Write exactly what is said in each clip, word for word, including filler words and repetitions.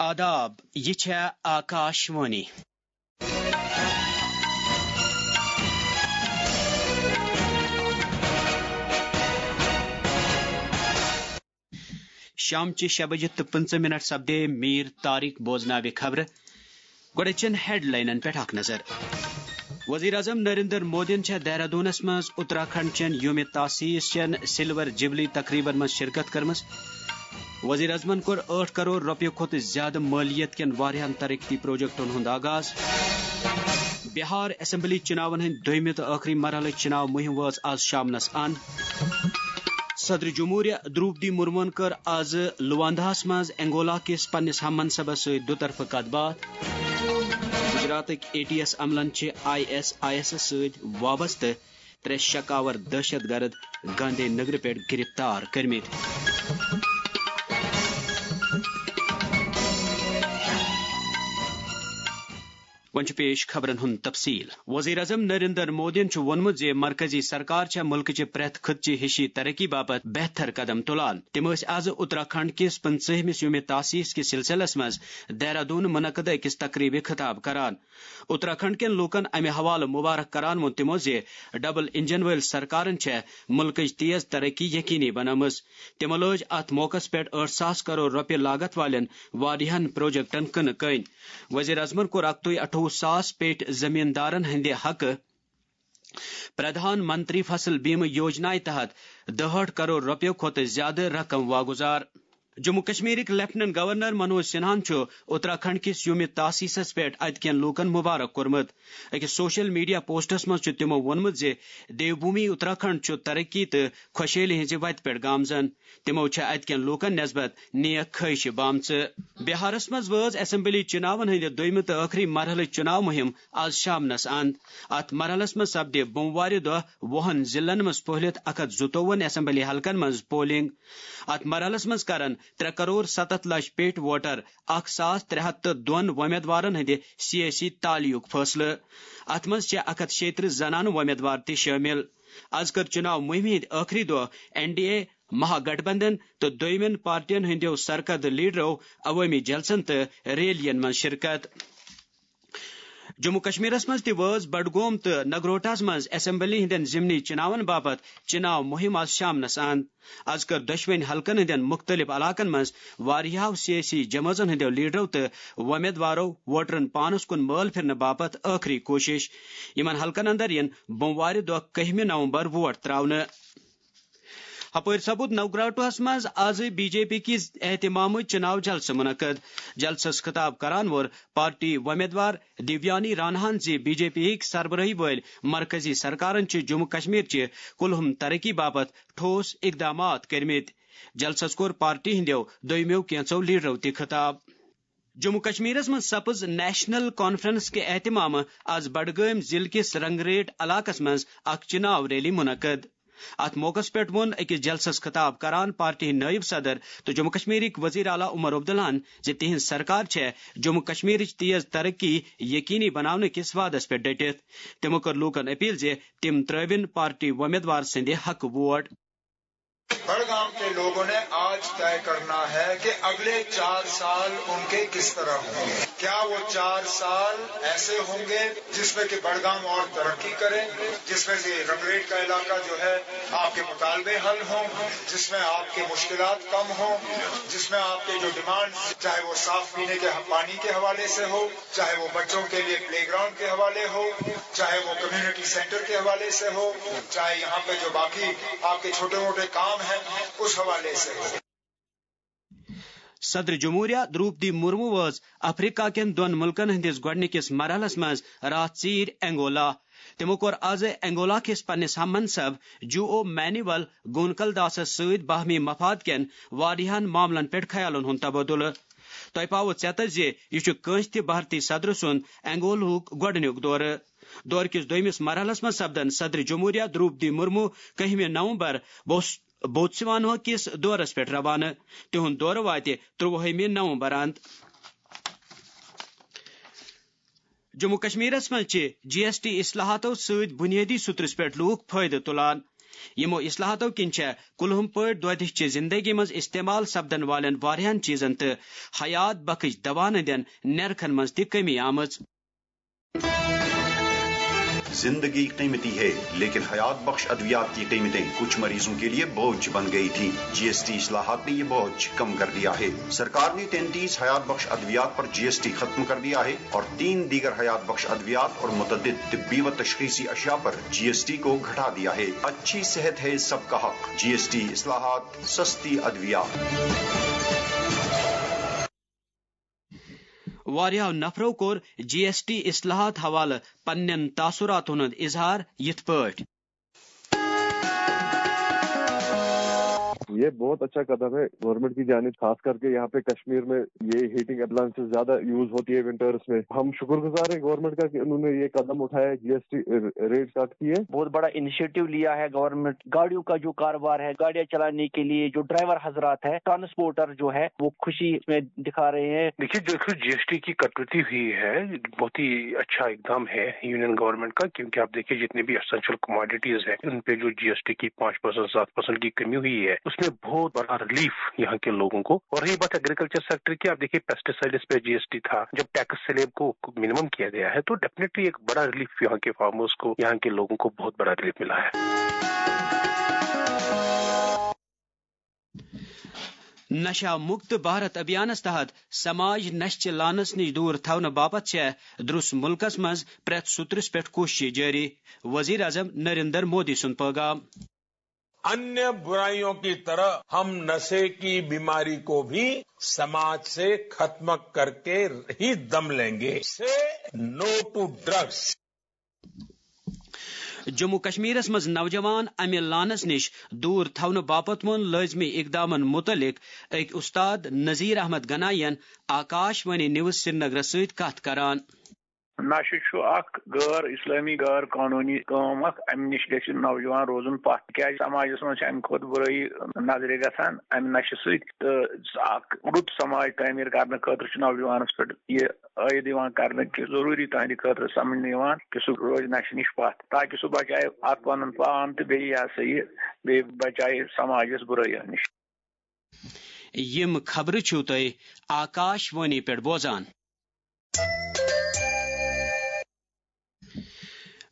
آداب، یہِ چھےٚ آکاش وانی۔ شامچہِ شےٚ بجہِ تہٕ پٕنٛژٕہ منٹ سپدے۔ میٖر طارق بوزناوِ خبرٕ۔ گۄڈٕ چن ہیڈ لاینن پٮ۪ٹھ اکھ نظر۔ وزیر اعظم نریندر مودیَن چھےٚ دہرادوٗنَس منٛز اتراکھنڈ چٮ۪ن یوم تاسیس چٮ۪ن سلور جبلی تقریبن منٛز شرکت کٔرمٕژ۔ وزیر اعظمَن کوٚر ٲٹھ کرور رۄپیہِ کھۄتہٕ زیادٕ مٲلیت کٮ۪ن واریاہَن ترقیتی پروجیکٹَن ہُنٛد آغاز۔ بہار اسمبلی چُناون ہٕنٛدۍ دوٚیمہِ تہٕ ٲخری مرحلٕچ چُناو مُہِم وٲژ آز شامنَس اند۔ صدر جمہوریہ دروپدی مرموَن کٔر آز لواندہَس منٛز انگولا کِس پننِس ہم منصبس سۭتۍ دُطرفہٕ کتھ باتھ۔ گجراتٕکۍ اے ٹی ایس عملن چھِ آئی ایس آئی ایسَس سۭتۍ وابستہٕ ترٛےٚ شکاور دہشت گرد گاندھی نگرٕ پٮ۪ٹھ گرفتار کٔرمٕتۍ۔ وۄنۍ چھُ پیش خبرن ہُنٛد تفصیل۔ وزیر اعظم نریندر مودیَن چھُ ووٚنمُت زِ مرکزی سرکار چھےٚ مُلکٕچہِ پرٛٮ۪تھ خطہٕ چہِ ہِشی ترقی باپتھ بہتر قدم تُلان۔ تِم ٲسۍ آز اتراکھنڈ کِس پٕنٛژٕہمِس یومِ تاسیس کِس سلسلس منٛز دہرادون منعقدٕ أکِس تقریبہِ خطاب کران۔ اتراکھنڈ کٮ۪ن لوٗکن امہِ حوالہٕ مبارک کران ووٚن تِمو زِ ڈبل انجن وٲلۍ سرکارن چھےٚ مُلکٕچ تیز ترقی یقینی بنٲومٕژ۔ تِمو لٲج اتھ موقعس پٮ۪ٹھ ٲٹھ ساس کرور رۄپیہِ لاگت والٮ۪ن واریاہن پروجیکٹن کٕنہٕ کٔنۍ۔ وزیر اعظمن کوٚر اکتُے اَٹھووُہ ساس پیٹھۍ زمیٖندارن ہٕنٛدِ حقہٕ پردھان منتری فصل بیمہ یوجنایہِ تحت دُہٲٹھ کرور رۄپیو کھۄتہٕ زیادٕ رقم واگُزار۔ جموں کشمیرٕکۍ لیفٹیننٹ گورنر منوج سنہاہن چھُ اتراکھنڈ کِس یومِ تاسیسس پٮ۪ٹھ اتہِ کٮ۪ن لوٗکن مبارک کوٚرمُت۔ أکِس سوشل میڈیا پوسٹس منٛز چھُ تِمو ووٚنمُت زِ دیو بھومی اتراکھنڈ چھُ ترقی تہٕ خۄشحٲلی ہٕنٛزِ وتہِ پٮ۪ٹھ گامزن۔ تِمو چھےٚ اتہِ کٮ۪ن لوٗکن نسبت نیک خٲہشہِ بامژٕ۔ بہارس منٛز وٲژ اسمبلی چُناون ہٕنٛدِ دوٚیمہِ تہٕ ٲخری مرحلٕچ چُناو مُہِم آز شامنس اند۔ اتھ مرحلس منٛز سپدِ بوموارِ دۄہ وُہن ضلعن منٛز پھٔہلِتھ اکھ ہتھ زٕتووُہن اسمبلی حلقن منٛز پولنگ۔ اتھ مرحلس منٛز کرن ترٛےٚ کرور ستتھ لچھ پیٹھۍ ووٹر اکھ ساس ترٛےٚ ہتھ تہٕ دۄن وۄمیدوارن ہٕنٛدِ سیٲسی تعلقُک فٲصلہٕ۔ اتھ منٛز چھےٚ اکھ ہتھ شیٚیہِ ترٕٛہ زنانہٕ وۄمیدوار تہِ شٲمِل۔ از کٔر چُناو مُہِمہِ ہٕنٛدۍ ٲخری دۄہ این ڈی اے، مہا گٹھ بندھن تہٕ دوٚیمٮ۪ن پارٹین ہٕنٛدٮ۪و سرکردٕ لیڈرو عوٲمی جلسن تہٕ ریلین منٛز شرکت۔ جموں کشمیرس منٛز تہِ وٲژ بڈگوم تہٕ نگروٹاہس منٛز اسمبلی ہٕنٛدٮ۪ن ضمنی چُناون باپتھ چُناو مُہِم آز شامنس اند۔ از کٔر دۄشوٕنۍ حلقن ہٕنٛدٮ۪ن مُختٔلِف علاقن منٛز واریاہو سیٲسی جمٲژن ہٕنٛدٮ۪و لیڈرو تہٕ وۄمیدوارو ووٹرن پانس کُن مٲل پھرنہٕ باپتھ ٲخری کوٗشش۔ یِمن حلقن اندر یِن بوموارِ دۄہ کٔہمہِ نومبر ووٹ تراونہٕ۔ ہپٲرۍ سپُد نوگراٹوہس منٛز آز بی جے پی کِس اہتمامہٕ چُناو جلسہٕ منعقد۔ جلسس خطاب کران ووٚن پارٹی وۄمیدوار دیویانی راناہن زِ بی جے پی ہٕکۍ سربرٲہی وٲلۍ مرکزی سرکارن چھِ جموں کشمیر چہِ کُلہُم ترقی باپتھ ٹھوس اقدامات کٔرمٕتۍ۔ جلسس کوٚر پارٹی ہٕنٛدٮ۪و دوٚیمٮ۪و کینٛژو لیڈرو تہِ خطاب۔ جموں کشمیرس منٛز سپٕز نیشنل کانفرنس کہِ اہتمامہٕ آز بڈگٲمۍ ضلعہٕ کِس رنگریٹ علاقس منٛز اکھ چُناو ریلی منعقد۔ اتھ موقعس پٮ۪ٹھ ووٚن أکِس جلسس خطاب کران پارٹی ہٕنٛدۍ نٲیِب صدر تہٕ جموں کشمیرٕکۍ وزیر اعلیٰ عمر عبداللہن زِ تِہنٛز سرکار چھےٚ جموں کشمیرٕچ تیز ترقی یقینی بناونہٕ کِس وعدس پٮ۪ٹھ ڈٔٹِتھ۔ تِمو کٔر لوٗکن اپیل زِ تِم ترٲوِن پارٹی وۄمیدوار سٕنٛدِ حقہٕ ووٹ۔ بڑگام کے لوگوں نے آج طے کرنا ہے کہ اگلے چار سال ان کے کس طرح ہوں گے۔ کیا وہ چار سال ایسے ہوں گے جس میں کہ بڑگام اور ترقی کرے، جس میں سے رنگریٹ کا علاقہ جو ہے آپ کے مطالبے حل ہوں، جس میں آپ کے مشکلات کم ہوں، جس میں آپ کے جو ڈیمانڈز، چاہے وہ صاف پینے کے پانی کے حوالے سے ہو، چاہے وہ بچوں کے لیے پلے گراؤنڈ کے حوالے ہو، چاہے وہ کمیونٹی سینٹر کے حوالے سے ہو، چاہے یہاں پہ جو باقی آپ کے چھوٹے موٹے کام ہیں اس حوالے سے ہو۔ صدر جمہوریہ دروپدی مرمو وٲژ افریقہ کٮ۪ن دۄن مُلکن ہٕنٛدِس گۄڈٕنِکِس مرحلس منٛز راتھ ژیٖرۍ انگولا۔ تِمو کوٚر آز انگولا کِس پننِس ہم منصب جو او مینیول گونکل داسس سۭتۍ باہمی مفاد کٮ۪ن واریاہن معاملن پٮ۪ٹھ خیالن ہُنٛد تبادلہٕ۔ تۄہہِ پاوٕ ژیتر زِ یہِ چھُ کٲنٛسہِ تہِ بھارتی صدرٕ سُنٛد انگولہُک گۄڈٕنیُک دورٕ۔ دورٕ کِس دوٚیمِس مرحلس منٛز سپدن صدر جمہوریہ دروپدی مرمو کٔہمہِ نومبر بوس-، بوتسوانہ کِس دورس پٮ۪ٹھ روانہٕ۔ تِہُنٛد دورٕ واتہِ ترٛۆوُہمہِ نومبر اند۔ جموں کشمیرس منٛز چھِ جی ایس ٹی اصلاحاتو سۭتۍ بُنیٲدی سُترس پٮ۪ٹھ لوٗکھ فٲیدٕ تُلان۔ یِمو اصلاحاتو کِنۍ چھےٚ کُلہُم پٲٹھۍ دۄدِچ چہِ زندگی منٛز استعمال سپدن والٮ۪ن واریاہن چیزن تہٕ حیات بخش دوان ہٕنٛدٮ۪ن نرخن منٛز تہِ کمی آمٕژ۔ زندگی قیمتی ہے، لیکن حیات بخش ادویات کی قیمتیں کچھ مریضوں کے لیے بوجھ بن گئی تھی۔ جی ایس ٹی اصلاحات نے یہ بوجھ کم کر دیا ہے۔ سرکار نے تینتیس حیات بخش ادویات پر جی ایس ٹی ختم کر دیا ہے اور تین دیگر حیات بخش ادویات اور متعدد طبی و تشخیصی اشیاء پر جی ایس ٹی کو گھٹا دیا ہے۔ اچھی صحت ہے سب کا حق۔ جی ایس ٹی اصلاحات، سستی ادویات۔ واریاہو نفرو کوٚر جی ایس ٹی اصلاحات حوالہٕ پننٮ۪ن تاثراتن ہُنٛد اظہار یِتھ پٲٹھۍ۔ یہ بہت اچھا قدم ہے گورنمنٹ کی جانب، خاص کر کے یہاں پہ کشمیر میں یہ ہیٹنگ اپلائنسز زیادہ یوز ہوتی ہے ونٹرز میں۔ ہم شکر گزار ہیں گورنمنٹ کا کہ انہوں نے یہ قدم اٹھایا ہے، جی ایس ٹی ریٹ کٹ کی ہے۔ بہت بڑا انیشیٹو لیا ہے گورنمنٹ، گاڑیوں کا جو کاروبار ہے، گاڑیاں چلانے کے لیے جو ڈرائیور حضرات ہیں، ٹرانسپورٹر جو ہے، وہ خوشی اس میں دکھا رہے ہیں۔ دیکھیے، جو جی ایس ٹی کی کٹوتی ہوئی ہے، بہت ہی اچھا اقدام ہے یونین گورنمنٹ کا، کیونکہ آپ دیکھیے، جتنے بھی اسینشل کموڈیٹیز ہیں، ان پہ جو جی ایس ٹی کی پانچ پرسینٹ، سات پرسینٹ کی کمی ہوئی ہے، اس میں بہت بڑا ریلیف یہاں کے لوگوں کو۔ اور رہی بات ایگریکلچر سیکٹر کی، آپ دیکھیے، پیسٹیسائڈز پہ جی ایس ٹی تھا، جب ٹیکس سلیب کو منیمم کیا گیا ہے، تو ڈیفینیٹلی ایک بڑا ریلیف یہاں کے فارمرز کو، یہاں کے لوگوں کو بہت بڑا ریلیف ملا ہے۔ نشہ مکت بھارت ابھیانس تحت سماج نشچہ لانس نش دور تھاونہٕ باپتھ چھےٚ درس ملکس منٛز پرٛٮ۪تھ سوٚترس پٮ۪ٹھ کوٗشش جٲری، وزیر اعظم نریندر مودی سُنٛد پٲغام۔ अन्य बुराइयों की तरह हम नशे की बीमारी को भी समाज से खत्म करके ही दम लेंगे। से नो टू ड्रग्स। جموں کشمیرس منٛز نوجوان امہِ لانس نِش دوٗر تھاونہٕ باپتھ ووٚن لٲزمی اقدامن مُتعلق أکۍ اُستاد نذیر احمد گنائی ین آکاش وانی نیوز سرینگرس سۭتۍ کتھ کران۔ نشہٕ چھُ اکھ غٲر اسلٲمی، غٲر قونوٗنی کٲم اکھ۔ امہِ نِش گژھِ نوجوان روزُن پتھ، تِکیازِ سماجس منٛز چھِ امہِ کھۄتہٕ بُرٲیی نظرِ گژھان امہِ نشہٕ سۭتۍ۔ تہٕ اکھ رُت سماج تعمیٖر کرنہٕ خٲطرٕ چھُ نوجوانس پٮ۪ٹھ یہِ عٲید یِوان کرنہٕ کہِ ضروٗری تہنٛدِ خٲطرٕ سمجھنہٕ یِوان کہِ سُہ روزِ نشہٕ نِش پتھ، تاکہِ سُہ بچایہِ اکھ پنُن پان تہٕ بیٚیہِ یہِ ہسا یہِ بیٚیہِ بچایہِ سماجس بُرٲیو نِش۔ یِم خبرٕ چھِو تُہۍ آکاش وانی پٮ۪ٹھ بوزان۔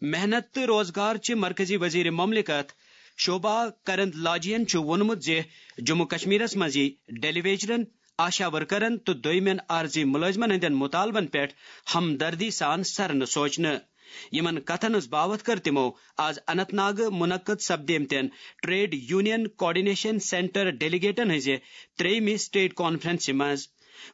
محنت تہٕ روزگار چہِ مرکزی وزیر مملکت شوبھا کرندلاجین چھُ ووٚنمُت زِ جموں کشمیرس منٛز یی ڈیلی ویجرن، آشا ورکرن تہٕ دویمٮ۪ن عارضی ملٲزمن ہٕنٛدٮ۪ن مطالبن پٮ۪ٹھ ہمدردی سان سرنہٕ سوچنہٕ۔ یِمن کتھن ہٕنٛز باوتھ کٔر تِمو آز اننت ناگہٕ منعقد سپدیمتٮ۪ن ٹریڈ یونین کوآرڈینیشن سینٹر ڈیلیگیٹن ہٕنٛزِ ترٛیٚیمہِ سٹیٹ کانفرنسہِ منٛز۔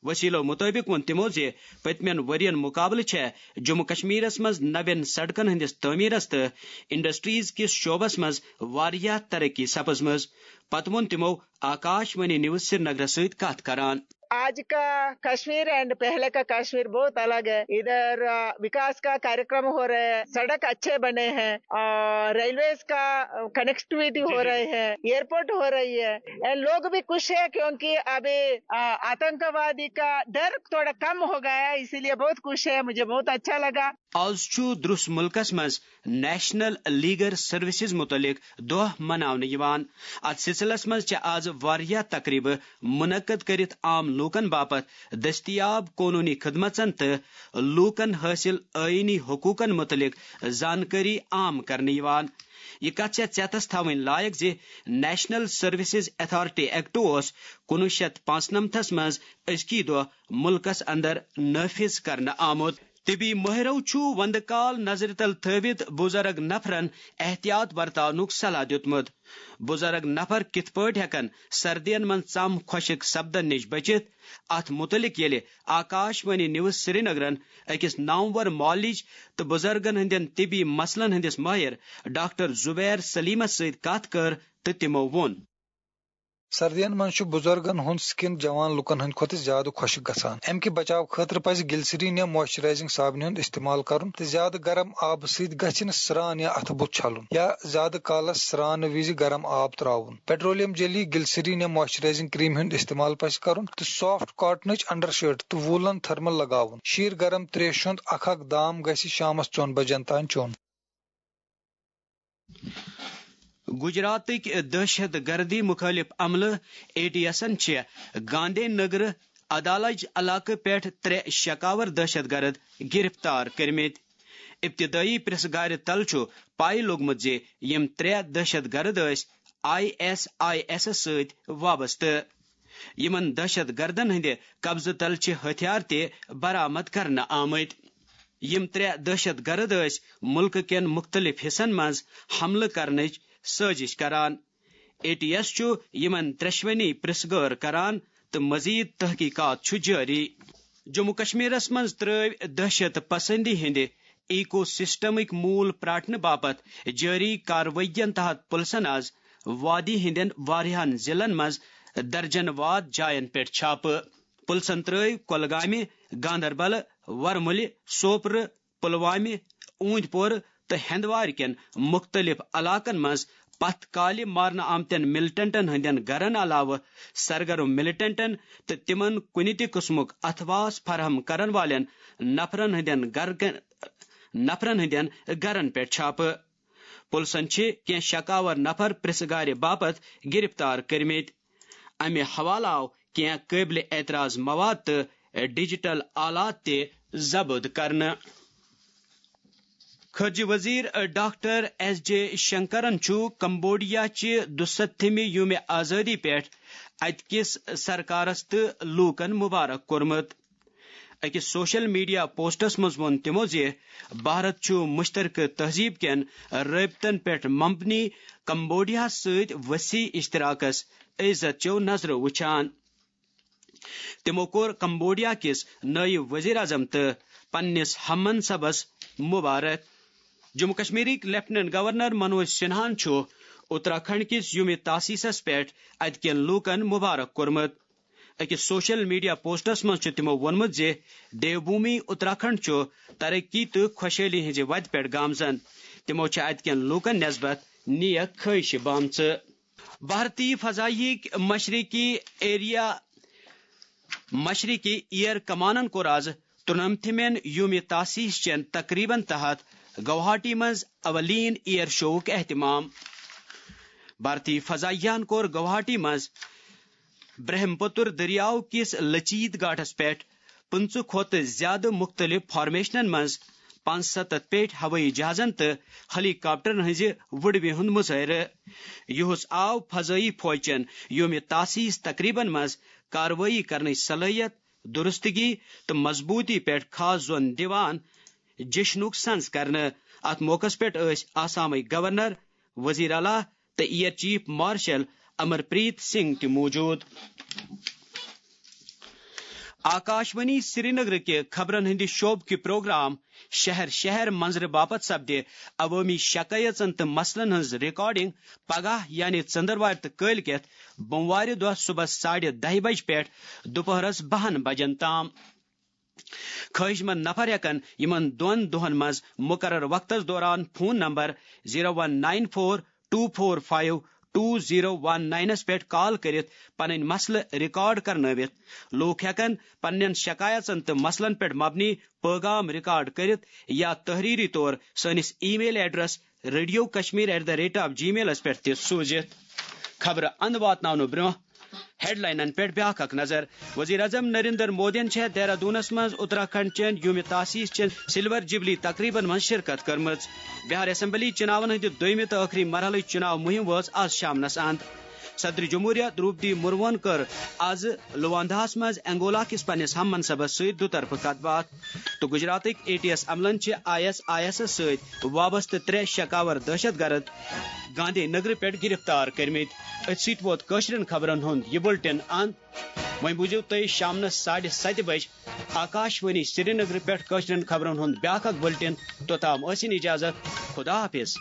وسیلو مطٲبق ووٚن تِمو زِ پٔتمٮ۪ن ؤرین مقابلہٕ چھےٚ جموں کشمیرس منٛز نوٮ۪ن سڑکن ہٕنٛدِس تعمیرس تہٕ انڈسٹریز کِس شعبس منٛز واریاہ ترقی سپٕزمٕژ۔ پتہٕ ووٚن تِمو آکاش وانی نیوز سرینگرس سۭتۍ کتھ کران۔ आज का कश्मीर एंड पहले का कश्मीर बहुत अलग है। इधर अ, विकास का कार्यक्रम हो रहे हैं, सड़क अच्छे बने हैं और रेलवेज का कनेक्टिविटी हो रही है, एयरपोर्ट हो रही है। एंड लोग भी खुश है क्योंकि अभी अ, आतंकवादी का डर थोड़ा कम हो गया है, इसीलिए बहुत खुश है। मुझे बहुत अच्छा लगा। آز چھُ درس ملکس منٛز نیشنل لیگل سروسز متعلق دۄہ مناونہٕ یِوان۔ اتھ سلسلس منٛز چھِ آز واریاہ تقریبہٕ منعقد کٔرِتھ عام لوٗکن باپتھ دٔستیاب قونوٗنی خدمژن تہٕ لوٗکن حٲصِل آئینی حقوٗقن مُتعلق زانکٲری عام کرنہٕ یِوان۔ یہِ کتھ چھےٚ ژیتس تھاوٕنۍ لایق زِ نیشنل سروسز اتھارٹی ایکٹ اوس کُنوُہ شیٚتھ پانٛژنمتھس منٛز أزکی دۄہ مُلکس اندر نافذ کرنہٕ آمُت۔ طبی مٲہرو چھُ وندٕ کال نظرِ تل تھٲوِتھ بُزرگ نفرن احتیاط برتاونُک صلاح دِیُتمُت۔ بُزرگ نفر کِتھ پٲٹھۍ ہٮ۪کن سردین منٛز ژم خۄشک سپدن نِش بٔچِتھ؟ اتھ مُتعلق ییٚلہِ آکاش وانی نیوز سرینگرن أکِس نامور معالج تہٕ بُزرگن ہٕنٛدٮ۪ن طبی مسلن ہٕنٛدِس مٲہِر ڈاکٹر زبیر سلیمس سۭتۍ کتھ کٔر تہٕ تِمو ووٚن۔ سردین منٛز چھُ بُزرگن ہُنٛد سکن جوان لوٗکن ہٕنٛدِ کھۄتہٕ زیادٕ خۄشک گژھان۔ امہِ کہِ بچاو خٲطرٕ پزِ گلسرین یا موئسچرائزنگ صابنہِ ہُنٛد استعمال کرُن تہٕ زیادٕ گرم آبہٕ سۭتۍ گژھِ نہٕ سرٛان یا اتھٕ بُتھ چھلُن یا زیادٕ کالس سرٛانہٕ وِزِ گرم آب تراوُن۔ پیٹرولیم جیلی، گلسرین یا موئسچرائزنگ کریم ہُنٛد استعمال پزِ کرُن تہٕ سافٹ کاٹنٕچ انڈر شرٹ تہٕ وولن تھرمل لگاوُن۔ شیٖر گرم تریشہِ ہُنٛد اکھ اکھ دام گژھِ شامس ژۄن بجن تام چیوٚن۔ گجراتٕکۍ دہشت گردی مخٲلف عملہٕ اے ٹی ایسن چھِ گاندھی نگرٕ عدالج علاقہٕ پٮ۪ٹھ ترٛےٚ شکاور دہشت گرد گرفتار کٔرمٕتۍ۔ ابتدٲیی پرٛژھ گارِ تل چھُ پَے لوٚگمُت زِ یِم ترٛےٚ دہشت گرد ٲسۍ آئی ایس آئی ایسس سۭتۍ وابستہٕ۔ یِمَن دہشت گردَن ہٕنٛدِ قبضہٕ تل چھِ ہتھیار تہِ برآمد کرنہٕ آمٕتۍ۔ یِم ترٛےٚ دہشت گرد ٲسۍ مُلکہٕ کٮ۪ن مُختٔلِف حصن منٛز حملہٕ کرنٕچ سٲزِش کران۔ اے ٹی ایس چھُ یِمَن ترٛٮ۪شوٕنی پرٛژھ گٲر کران تہٕ مزید تحقیقات چھُ جٲری۔ جموں کشمیرس منٛز ترٲوۍ دہشت پسندی ہٕنٛدِ ایکو سسٹمٕکۍ موٗل پراٹھنہٕ باپتھ جٲری کاروٲیین تحت پُلسن آز وادی ہٕنٛدٮ۪ن واریاہن ضلعن منٛز درجن واد جاین پٮ۪ٹھ چھاپہٕ۔ پُلسن ترٲوۍ کۄلگامہِ، گاندربلہٕ، ورمُلہِ، سوپرٕ، پلوامہِ، اوٗنٛدۍ پورٕ تہٕ ہندوارٕ کٮ۪ن مُختٔلِف علاقن منٛز پتھ کالہِ مارنہٕ آمتٮ۪ن ملٹنٹن ہٕنٛدٮ۪ن گرن علاوٕ سرگرم ملٹنٹن تہٕ تِمن کُنہِ تہِ قٕسمُک اثاثہٕ فراہم کرن والٮ۪ن نفرن ہٕنٛدٮ۪ن گرٕ، نفرن ہٕنٛدٮ۪ن گرن پٮ۪ٹھ چھاپہٕ۔ پُلسن چھِ کینٛہہ شکاور نفر پرٛژھ گارِ باپتھ گرفتار کٔرمٕتۍ۔ امہِ حوالہٕ آو کینٛہہ قٲبلِ اعتراض مواد تہٕ ڈیجیٹل آلات تہِ ضبط کرنہٕ۔ خارجہ وزیر ڈاکٹر ایس جے شنکرن چھُ کمبوڈیا چہِ دُستتھمہِ یومِ آزٲدی پٮ۪ٹھ اتہِ کِس سرکارس تہٕ لوٗکن مبارک کوٚرمُت۔ أکِس سوشل میڈیا پوسٹس منٛز ووٚن تِمَو زِ بھارت چھُ مشترکہٕ تہذیب کٮ۪ن رٲبطن پٮ۪ٹھ مبنی کمبوڈیاہَس سۭتۍ وسیع اشتراکس عزت چٮ۪و نظرو وٕچھان۔ تِمَو کوٚر کمبوڈیا کِس نٲیِب وزیر اعظم تہٕ پننِس ہم منصبس مبارک۔ جموں کشمیرٕکۍ لیفٹیننٹ گورنر منوج سنہاہَن چھُ اتراکھنڈ کِس یومِ تاسیسس پٮ۪ٹھ اتہِ کٮ۪ن لوٗکن مبارک کوٚرمُت۔ أکِس سوشل میڈیا پوسٹس منٛز چھُ تِمَو ووٚنمُت زِ دیو بھومی اتراکھنڈ چھُ ترقی تہٕ خۄشحٲلی ہٕنٛزِ وتہِ پٮ۪ٹھ گامزن۔ تِمَو چھِ اتہِ کٮ۪ن لوٗکن نسبت نیک خٲہشہِ بامژٕ۔ بھارتی فضائیہٕکۍ مشرقی ایریا، مشرقی ایئر کمانن کوٚر آز ترٛنمتھمٮ۪ن یومِ تاسیس چٮ۪ن تقریبن تحت گوہاٹی منٛز اولین ایئر شوُک اہتمام۔ بھارتی فضائیہن کوٚر گوہاٹی منٛز برہم پتر دٔریاو کِس لچیت گاٹھس پٮ۪ٹھ پٕنٛژٕہ کھۄتہٕ زِیٛادٕ مُختٔلِف فارمیشنن منٛز پانٛژستتھ پیٹھۍ ہوٲیی جہازن تہٕ ہیلی کاپٹرن ہٕنٛزِ وُڈوِ ہُنٛد مظٲہرٕ۔ یُہُس آو فضٲیی فوجچٮ۪ن یومِ تاسیس تقریبن منٛز کاروٲیی کرنٕچ صلٲحیت، درستگی تہٕ مضبوٗطی پٮ۪ٹھ خاص زون دِوان جشنُک سنز کرنہٕ۔ اتھ موقعس پٮ۪ٹھ ٲسۍ آسامٕکۍ گورنر، وزیر اعلیٰ تہٕ ایئر چیف مارشل امر پریت سنگھ تہِ موجود۔ آکاشوانی سرینگر کہِ خبرن ہٕنٛدِ شعبہٕ کہِ پروگرام شہر شہر منظرٕ باپتھ سپدِ عوٲمی شکایژن تہٕ مسلن ہٕنٛز ریکارڈنگ پگاہ یعنی ژٔنٛدٕروارِ تہٕ کٲلۍ کٮ۪تھ بوموارِ دۄہ صبحس ساڑِ دَہہِ بجہِ پٮ۪ٹھ دُپہرس بَہَن بجن تام۔ خٲہِش مند نفر ہٮ۪کن یِمن دۄن دۄہن منٛز مُقرر وقتس دوران phone number zero one nine four two four five two zero one ناینس پٮ۪ٹھ کال کٔرِتھ پنٕنۍ مسلہٕ ریکارڈ کرنٲوِتھ۔ لوٗکھ ہٮ۪کن پننٮ۪ن شکایژن تہٕ مسلن پٮ۪ٹھ مبنی پٲغام ریکارڈ کٔرِتھ یا تحریری طور سٲنِس email address radio Kashmir at the rate of جی میلس پٮ۪ٹھ تہِ سوٗزِتھ۔ خبرٕ اند واتناونہٕ برٛونٛہہ ہیڈلاینن پٮ۪ٹھ بیاکھ اکھ نظر۔ وزیر اعظم نریندر مودیَن چھےٚ دہرادونس منٛز اتراکھنڈ چٮ۪ن یومِ تاسیس چٮ۪ن سلور جبلی تقریبن منٛز شرکت کٔرمٕژ۔ بہار اسمبلی چُناون ہٕنٛدِ دوٚیمہِ تہٕ ٲخری مرحلٕچ چُناو مُہِم وٲژ آز شامنس اند۔ صدر جمہوریہ درٛوپدی مرموہن کٔر آز لوانداہس منٛز انگولا کِس پننِس ہم منصبس سۭتۍ دُطرفہٕ کتھ باتھ۔ تہٕ گجراتٕکۍ اے ٹی ایس عملن چھِ آئی ایس آئی ایسس سۭتۍ وابستہٕ ترٛےٚ شکاور دہشت گرد گاندھی نگرٕ پٮ۪ٹھ گرفتار کٔرمٕتۍ۔ أتھۍ سۭتۍ ووت کٲشرٮ۪ن خبرن ہُنٛد یہِ بُلٹن اند۔ وۄنۍ بوٗزِو تُہۍ شامنس ساڑِ ستہِ بجہِ آکاشوانی سرینگرٕ پٮ۪ٹھ کٲشرٮ۪ن خبرن ہُنٛد بیاکھ اکھ بُلٹن۔ توٚتام ٲسِن اجازت۔ خدا حافظ۔